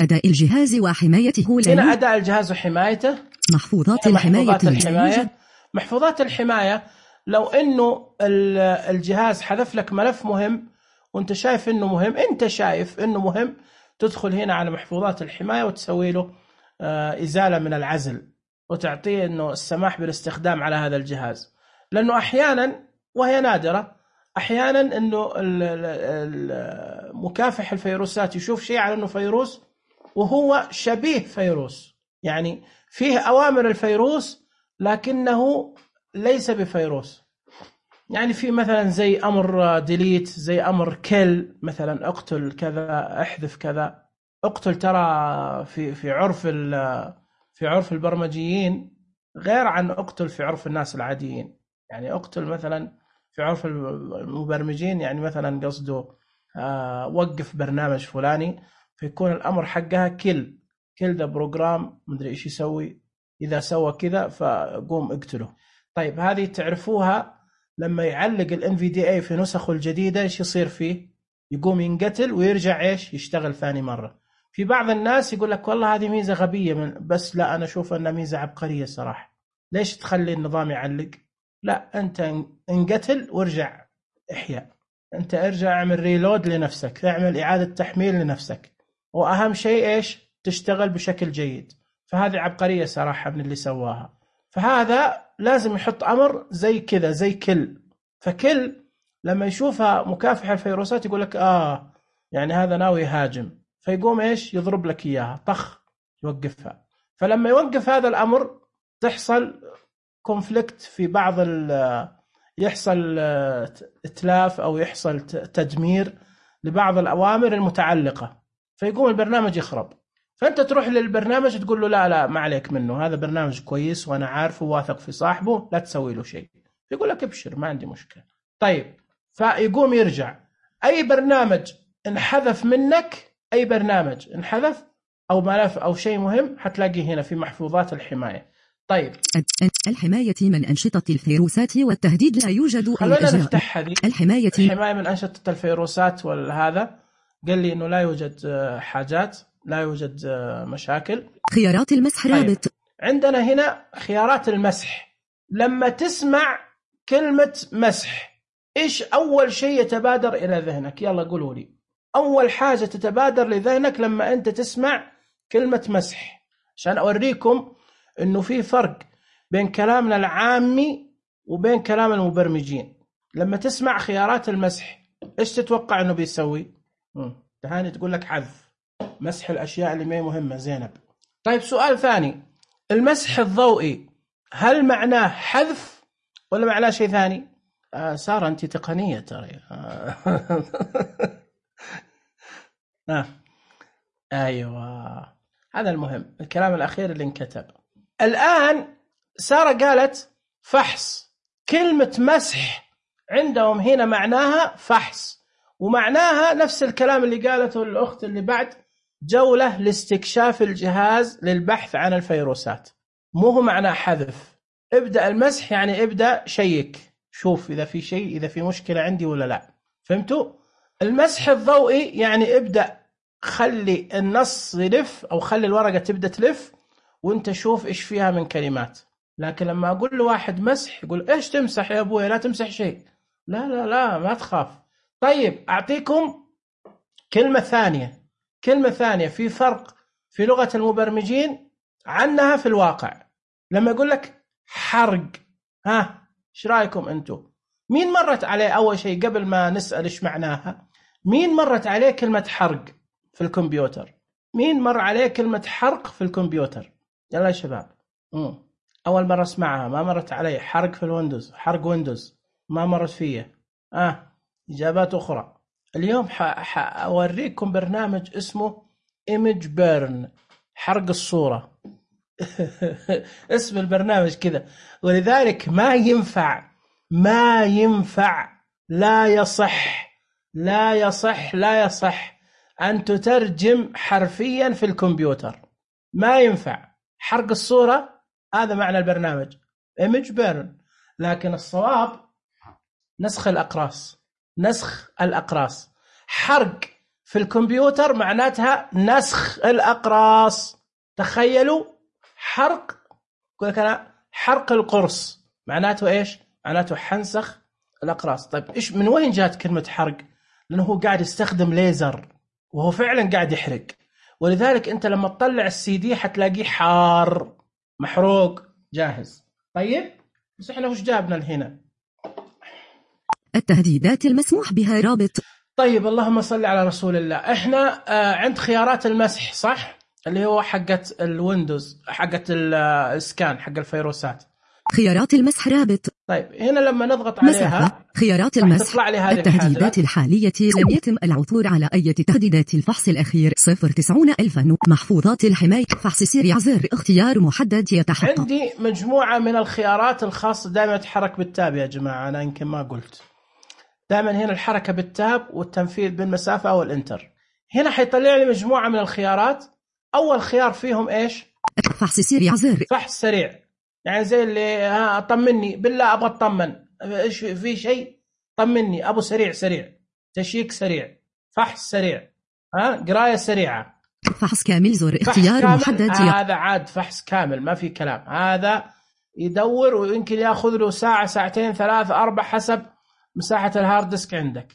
أداء الجهاز وحمايته، هنا أداء الجهاز وحمايته، محفوظات الحماية. محفوظات الحماية لو إنه الجهاز حذف لك ملف مهم وأنت شايف إنه مهم، تدخل هنا على محفوظات الحماية وتسوي له إزالة من العزل، وتعطيه إنه السماح بالاستخدام على هذا الجهاز. لأنه أحيانا، وهي نادرة، أحيانا إنه مكافح الفيروسات يشوف شيء على إنه فيروس وهو شبيه فيروس، يعني فيه أوامر الفيروس لكنه ليس بفيروس. يعني في مثلا زي أمر ديليت، زي أمر كل، مثلا اقتل كذا، احذف كذا. اقتل ترى في عرف البرمجيين غير عن اقتل في عرف الناس العاديين. يعني اقتل مثلا في عرف المبرمجين، يعني مثلا قصده وقف برنامج فلاني، فيكون الأمر حقها كل ذا بروجرام مدري إيش يسوي، إذا سوى كذا فقوم اقتله. طيب هذه تعرفوها لما يعلق ال NVDA في نسخه الجديدة إيش يصير فيه؟ يقوم ينقتل ويرجع إيش يشتغل ثاني مرة. في بعض الناس يقول لك والله هذه ميزة غبية بس لا، أنا أشوف أنها ميزة عبقرية صراحة. ليش تخلي النظام يعلق؟ لا، أنت انقتل وارجع احياء، أنت ارجع اعمل ريلود لنفسك، اعمل إعادة تحميل لنفسك، وأهم شيء إيش؟ تشتغل بشكل جيد. فهذه عبقرية صراحة من اللي سواها. فهذا لازم يحط أمر زي كذا، زي كل. فكل لما يشوفها مكافحة الفيروسات يقول لك يعني هذا ناوي يهاجم، فيقوم إيش يضرب لك إياها طخ يوقفها. فلما يوقف هذا الأمر تحصل كونفليكت في بعض يحصل إتلاف أو يحصل تدمير لبعض الأوامر المتعلقة، فيقوم البرنامج يخرب. فأنت تروح للبرنامج تقول له لا ما عليك منه، هذا برنامج كويس وأنا عارفه واثق في صاحبه، لا تسوي له شيء. يقول لك ابشر ما عندي مشكلة. طيب فيقوم يرجع. أي برنامج انحذف منك، أي برنامج انحذف أو ملف أو شيء مهم حتلاقيه هنا في محفوظات الحماية. طيب الحماية من أنشطة الفيروسات والتهديد، لا يوجد خلونا نفتح هذه الحماية من أنشطة الفيروسات والهذا. قال لي إنه لا يوجد حاجات، لا يوجد مشاكل. خيارات المسح رابط. طيب. عندنا هنا خيارات المسح. لما تسمع كلمة مسح إيش أول شيء يتبادر إلى ذهنك؟ يلا قولوا لي أول حاجة تتبادر لذهنك لما أنت تسمع كلمة مسح، عشان أوريكم إنه في فرق بين كلامنا العامي وبين كلام المبرمجين. لما تسمع خيارات المسح إيش تتوقع إنه بيسوي؟ تهاني تقول لك حذف، مسح الأشياء اللي ما مهمة. زينب. طيب سؤال ثاني، المسح الضوئي هل معناه حذف ولا معناه شيء ثاني؟ سارة أنت تقنية ترى. أيوة هذا المهم، الكلام الأخير اللي انكتب. الآن سارة قالت فحص. كلمة مسح عندهم هنا معناها فحص، ومعناها نفس الكلام اللي قالته الأخت اللي بعد جولة لاستكشاف الجهاز للبحث عن الفيروسات، مو هو معناه حذف. ابدأ المسح يعني ابدأ شيك، شوف إذا في شيء، إذا في مشكلة عندي ولا لا. فهمتوا؟ المسح الضوئي يعني ابدأ خلي النص يلف أو خلي الورقة تبدأ تلف وانت شوف إيش فيها من كلمات. لكن لما أقول له واحد مسح يقول إيش تمسح يا أبوي؟ لا تمسح شيء. لا لا لا ما تخاف. طيب أعطيكم كلمة ثانية في فرق في لغة المبرمجين عنها في الواقع. لما يقول لك حرق، ايش رايكم انتم؟ مين مرت عليه اول شيء قبل ما نسأل ايش معناها؟ مين مرت عليه كلمة حرق في الكمبيوتر؟ مين مر عليه كلمة حرق في الكمبيوتر؟ يلا يا شباب. اول مرة اسمعها، ما مرت علي. حرق في الويندوز، حرق ويندوز ما مرت فيه. اجابات اخرى. اليوم اوريكم برنامج اسمه Image Burn، حرق الصورة. اسم البرنامج كذا. ولذلك ما ينفع لا يصح أن تترجم حرفيا في الكمبيوتر. ما ينفع. حرق الصورة هذا معنى البرنامج Image Burn، لكن الصواب نسخ الأقراص. حرق في الكمبيوتر معناتها نسخ الأقراص. تخيلوا حرق، يقول لك أنا حرق القرص، معناته إيش؟ معناته حنسخ الأقراص. طيب إيش من وين جات كلمة حرق؟ لأنه هو قاعد يستخدم ليزر وهو فعلا قاعد يحرق، ولذلك أنت لما تطلع السي دي حتلاقيه حار محروق جاهز. طيب بس إحنا وش جابنا لهنا؟ التهديدات المسموح بها رابط. طيب اللهم صل على رسول الله. إحنا عند خيارات المسح صح؟ اللي هو حقت الويندوز، حقت السكان حق الفيروسات. خيارات المسح رابط. طيب هنا لما نضغط عليها خيارات المسح. التهديدات الحالية لم يتم العثور على أي تهديدات. الفحص الأخير 090,000 محفوظات الحماية. فحص سريع زر اختيار محدد يتحقق. عندي مجموعة من الخيارات الخاصة. دائما تحرك بالتاب يا جماعة، أنا يمكن ما قلت. دائما هنا الحركة بالتاب والتنفيذ بالمسافة أو الإنتر. هنا حيطلع لي مجموعة من الخيارات. أول خيار فيهم إيش؟ فحص سريع زر. فحص سريع يعني زي اللي طمني بالله أبغى أطمن، إيش في شيء طمني، أبو سريع تشيك سريع، فحص سريع، قراية سريعة. فحص كامل زر اختيار محدد. هذا عاد فحص كامل ما في كلام. هذا يدور ويمكن يأخذ له ساعة، ساعتين، 3، 4 حسب مساحة الهارد ديسك عندك.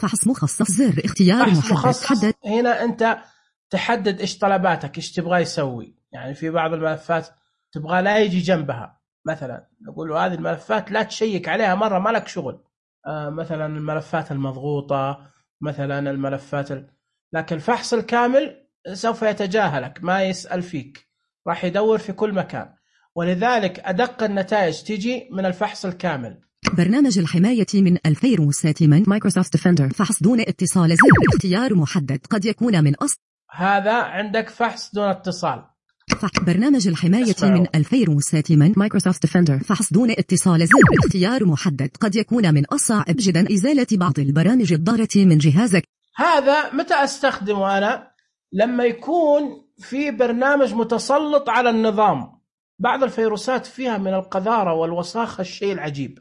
فحص مخصص زر اختيار محدد. هنا أنت تحدد إيش طلباتك، إيش تبغى يسوي. يعني في بعض الملفات تبغى لا يجي جنبها، مثلا نقول له هذه الملفات لا تشيك عليها مرة، ما لك شغل. مثلا الملفات المضغوطة، مثلا الملفات لكن الفحص الكامل سوف يتجاهلك، ما يسأل فيك، راح يدور في كل مكان. ولذلك أدق النتائج تيجي من الفحص الكامل. برنامج الحماية من الفيروسات من مايكروسوفت ديفندر. فحص دون اتصال زر اختيار محدد قد يكون من أصل. هذا عندك فحص دون اتصال. برنامج الحماية من الفيروسات من مايكروسوفت ديفندر. فحص دون اتصال زر اختيار محدد قد يكون من الصعب جدا إزالة بعض البرامج الضارة من جهازك. هذا متى أستخدمه أنا؟ لما يكون في برنامج متسلط على النظام. بعض الفيروسات فيها من القذارة والوساخة الشيء العجيب،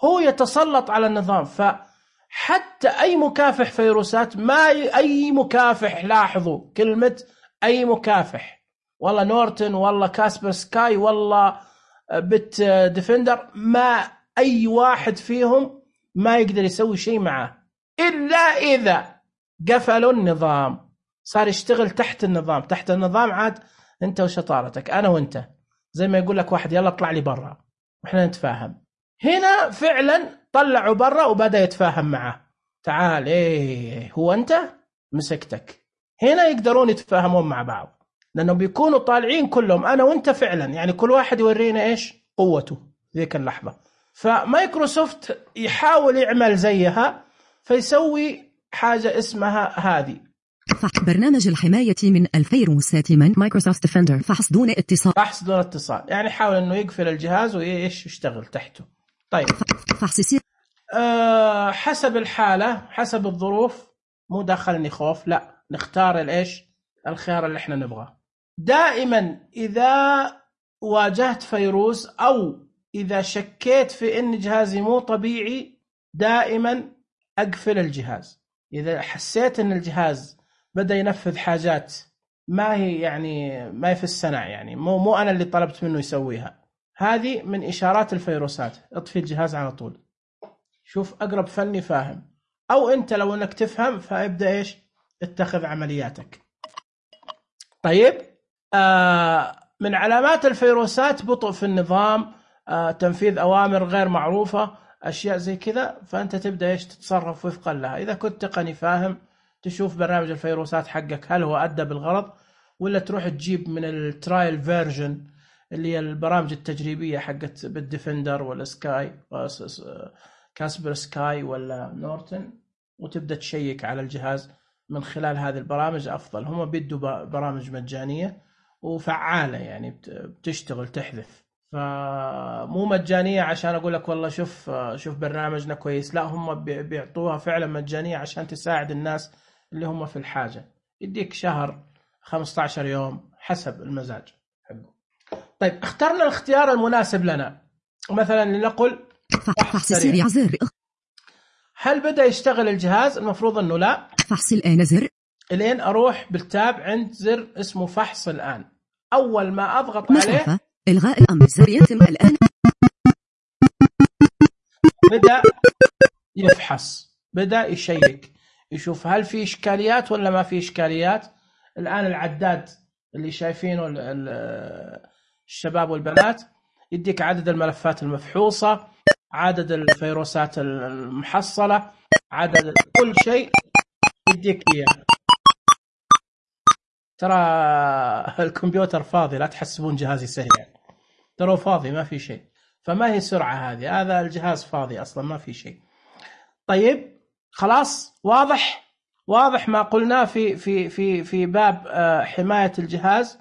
هو يتسلط على النظام. فحتى أي مكافح فيروسات، ما أي مكافح، لاحظوا كلمة أي مكافح، والله نورتن، والله كاسبر سكاي، والله بت ديفندر، ما أي واحد فيهم ما يقدر يسوي شيء معه إلا إذا قفلوا النظام، صار يشتغل تحت النظام. تحت النظام عاد أنت وشطارتك، أنا وأنت، زي ما يقول لك واحد يلا اطلع لي برا وإحنا نتفاهم. هنا فعلا طلعوا برا وبدأ يتفاهم معه. تعال إيه هو أنت مسكتك. هنا يقدرون يتفاهمون مع بعض، لأنه بيكونوا طالعين كلهم أنا وأنت فعلا، يعني كل واحد يورينا إيش قوته ذيك اللحظة. فمايكروسوفت يحاول يعمل زيها، فيسوي حاجة اسمها هذه برنامج الحماية من الفيروسات من مايكروسوفت ديفندر. فحص دون اتصال. فحص دون اتصال يعني حاول إنه يقفل الجهاز وإيش يشتغل تحته. طيب فحص سير. حسب الحالة، حسب الظروف، مو دخلني خوف، لا نختار الإيش الخيار اللي احنا نبغاه. دائما إذا واجهت فيروس أو إذا شكيت في إن جهازي مو طبيعي دائما أقفل الجهاز. إذا حسيت إن الجهاز بدأ ينفذ حاجات ما هي يعني ما هي في الصنع، يعني مو أنا اللي طلبت منه يسويها، هذه من إشارات الفيروسات. اطفي الجهاز على طول. شوف أقرب فني فاهم، أو أنت لو أنك تفهم فابدأ إيش اتخذ عملياتك. طيب من علامات الفيروسات بطء في النظام، تنفيذ أوامر غير معروفة، أشياء زي كذا. فأنت تبدأ إيش تتصرف وفقا لها. إذا كنت تقني فاهم تشوف برنامج الفيروسات حقك هل هو أدى بالغرض، ولا تروح تجيب من الترايل فيرجن اللي هي البرامج التجريبية حقت بالديفندر ولا سكاي كاسبر سكاي ولا نورتن، وتبدأ تشيك على الجهاز من خلال هذه البرامج. أفضل، هم بيدوا برامج مجانية وفعالة يعني بتشتغل تحذف، فمو مجانية عشان أقول لك والله شوف برنامجنا كويس، لا هم بيعطوها فعلا مجانية عشان تساعد الناس اللي هم في الحاجة. يديك شهر 15 يوم حسب المزاج حقه. طيب اخترنا الاختيار المناسب لنا، مثلا لنقل فحص سريع زر. هل بدأ يشتغل الجهاز؟ المفروض انه لا. فحص الآن زر. الين اروح بالتاب عند زر اسمه فحص الآن. اول ما اضغط مسافة. عليه الغاء الامر زر يتم الآن. بدأ يفحص، بدأ يشيك يشوف هل في إشكاليات ولا ما في إشكاليات. الآن العداد اللي شايفينه الشباب والبنات يديك عدد الملفات المفحوصة، عدد الفيروسات المحصلة، عدد كل شيء يديك إياه. ترى الكمبيوتر فاضي، لا تحسبون جهازي سريع، ترى فاضي ما في شيء. فما هي سرعة هذه، هذا الجهاز فاضي أصلا ما في شيء. طيب خلاص واضح ما قلناه في باب حماية الجهاز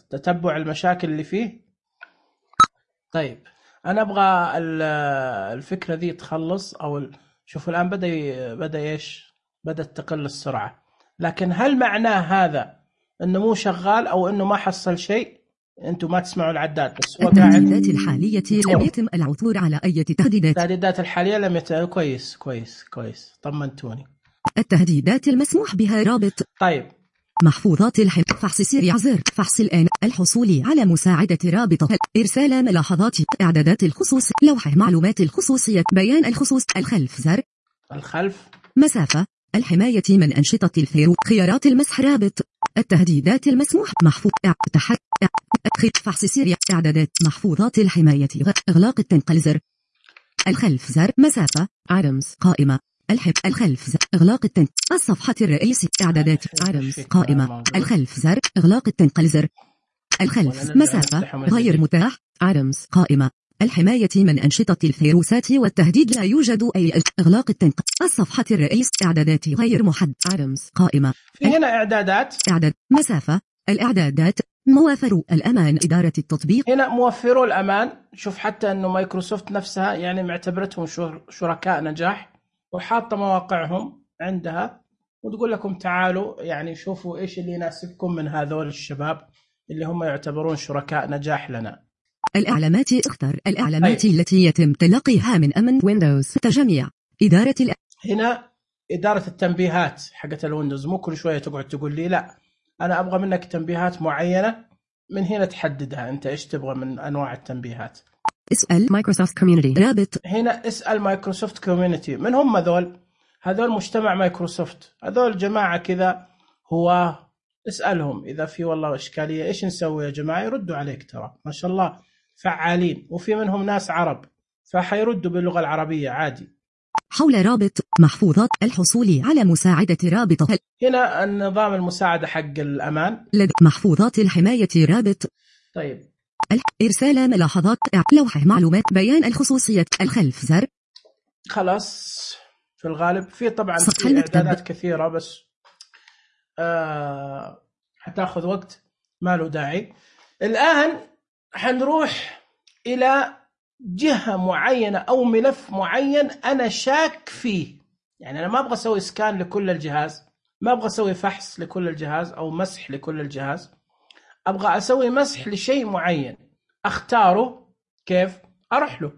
وتتبع المشاكل اللي فيه. طيب أنا أبغى الفكرة ذي تخلص، أو شوف الآن بدأ إيش، بدأت تقل السرعة. لكن هل معناه هذا إنه مو شغال أو إنه ما حصل شيء؟ أنتم ما تسمعوا العداد بس هو قاعد. التهديدات الحالية لم يتم العثور على أي تهديدات. التهديدات الحالية لم يتم. كويس طمنتوني. التهديدات المسموح بها رابط. طيب محفوظات فحص سريع زر. فحص الآن. الحصول على مساعدة رابطة. إرسال ملاحظات. إعدادات الخصوص. لوحة معلومات الخصوصية. بيان الخصوص. الخلف زر. الخلف. مسافة. الحماية من أنشطة الفيروس. خيارات المسح رابط. التهديدات المسموح. محفوظ. فحص سريع. إعدادات. محفوظات الحماية. إغلاق التنقل زر. الخلف زر. مسافة. عدمز قائمة. الخلف زر. إغلاق التنقل. الصفحة الرئيسية. إعدادات. عدمز قائمة. الخلف زر. إغلاق التنقل زر. الخلف. مسافة. غير متاح. عدمز قائمة. الحماية من أنشطة الفيروسات والتهديد. لا يوجد أي. إغلاق التنقل. الصفحة الرئيس. إعدادات غير محدد. عدمز قائمة. في هنا إعدادات. إعداد. مسافة. الإعدادات. موافر الأمان. إدارة التطبيق. هنا موفروا الأمان. شوف حتى أنه مايكروسوفت نفسها يعني معتبرتهم شركاء نجاح، وحاطة مواقعهم عندها وتقول لكم تعالوا يعني شوفوا إيش اللي يناسبكم من هذول الشباب اللي هم يعتبرون شركاء نجاح لنا. الإعلامات. اختر الإعلامات التي يتم تلقيها من أمن ويندوز. تجميع. إدارة هنا إدارة التنبيهات حقت الويندوز. مو كل شوية تقعد تقول لي لا أنا أبغى منك تنبيهات معينة، من هنا تحددها أنت إيش تبغى من أنواع التنبيهات. اسأل مايكروسوفت كوميونيتي. رابط. هنا اسأل مايكروسوفت كوميونيتي. من هم هذول مجتمع مايكروسوفت، هذول جماعة كذا هو اسألهم إذا في والله إشكالية إيش نسوي يا جماعة، يردوا عليك. ترى ما شاء الله فعالين، وفي منهم ناس عرب فحيردوا باللغة العربية عادي. حول رابط. محفوظات. الحصول على مساعدة رابطة. هنا النظام المساعدة حق الأمان. محفوظات الحماية رابط. طيب إرسال ملاحظات. لوحة معلومات. بيان الخصوصية. الخلف زر. خلاص في الغالب في طبعا في إعدادات كثيرة بس حتاخذ وقت ما له داعي. الآن حنروح إلى جهة معينة أو ملف معين أنا شاك فيه، يعني أنا ما أبغى أسوي سكان لكل الجهاز، ما أبغى أسوي فحص لكل الجهاز أو مسح لكل الجهاز، أبغى أسوي مسح لشيء معين أختاره. كيف؟ أروح له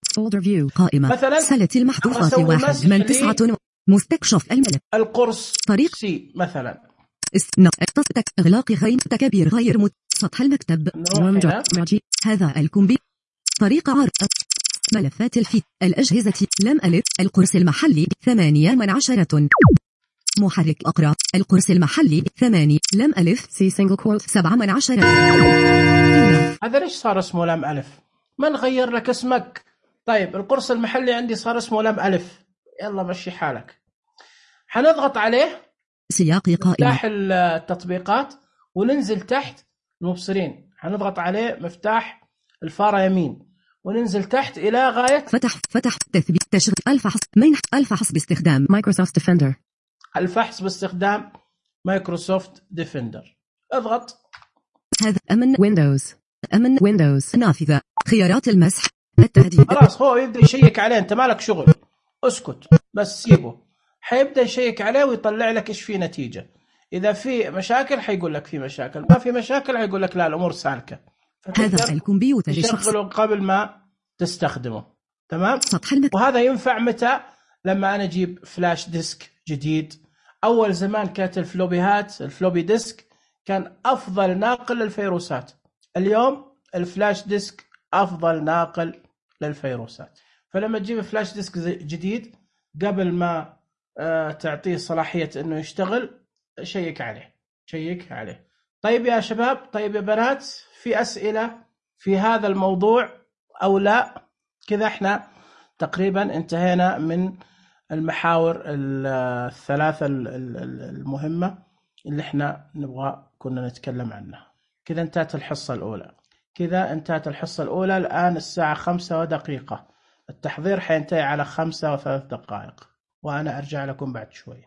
folder view قائمة مثلا سلة المحذوفات 1 من 9 مستكشف الملف القرص طريق سي مثلا إغلاق تكبير غير سطح المكتب هذا الكمبيوتر طريقة عرض ملفات الفيت الأجهزة لم ألف القرص المحلي 18 محرك أقرأ القرص المحلي 8 لم ألف سي سنجل كوت 17. هذا ليش صار اسمه لم ألف؟ ما نغير لك اسمك. طيب القرص المحلي عندي صار اسمه لم ألف، يلا مشي حالك. حنضغط عليه سياق قائمة مفتاح التطبيقات وننزل تحت المبصرين، حنضغط عليه مفتاح الفارة يمين وننزل تحت إلى غاية فتح تثبيت تشغيل الفحص باستخدام مايكروسوفت ديفندر، الفحص باستخدام مايكروسوفت ديفندر. اضغط. هذا أمن ويندوز نافذة خيارات المسح التهديد. خلاص هو يبدأ يشيك عليه، أنت مالك شغل، اسكت بس سيبه. حيبدأ يشيك عليه ويطلع لك إيش فيه نتيجة. إذا في مشاكل حيقول لك في مشاكل، ما في مشاكل حيقول لك لا الأمور سالكة. هذا الكمبيوتر تشغله قبل ما تستخدمه. تمام. سطح وهذا ينفع متى؟ لما أنا أجيب فلاش ديسك جديد. أول زمان كانت الفلوبي ديسك كان أفضل ناقل للفيروسات. اليوم الفلاش ديسك أفضل ناقل للفيروسات. فلما تجيب فلاش ديسك جديد قبل ما تعطيه صلاحية أنه يشتغل شيك عليه. طيب يا شباب، طيب يا بنات، في أسئلة في هذا الموضوع أو لا؟ كذا احنا تقريبا انتهينا من المحاور الثلاثة المهمة اللي احنا كنا نتكلم عنها. كذا انتهت الحصة الأولى. الآن الساعة 5:01. التحضير حينتهي على 5:03 وأنا أرجع لكم بعد شوي.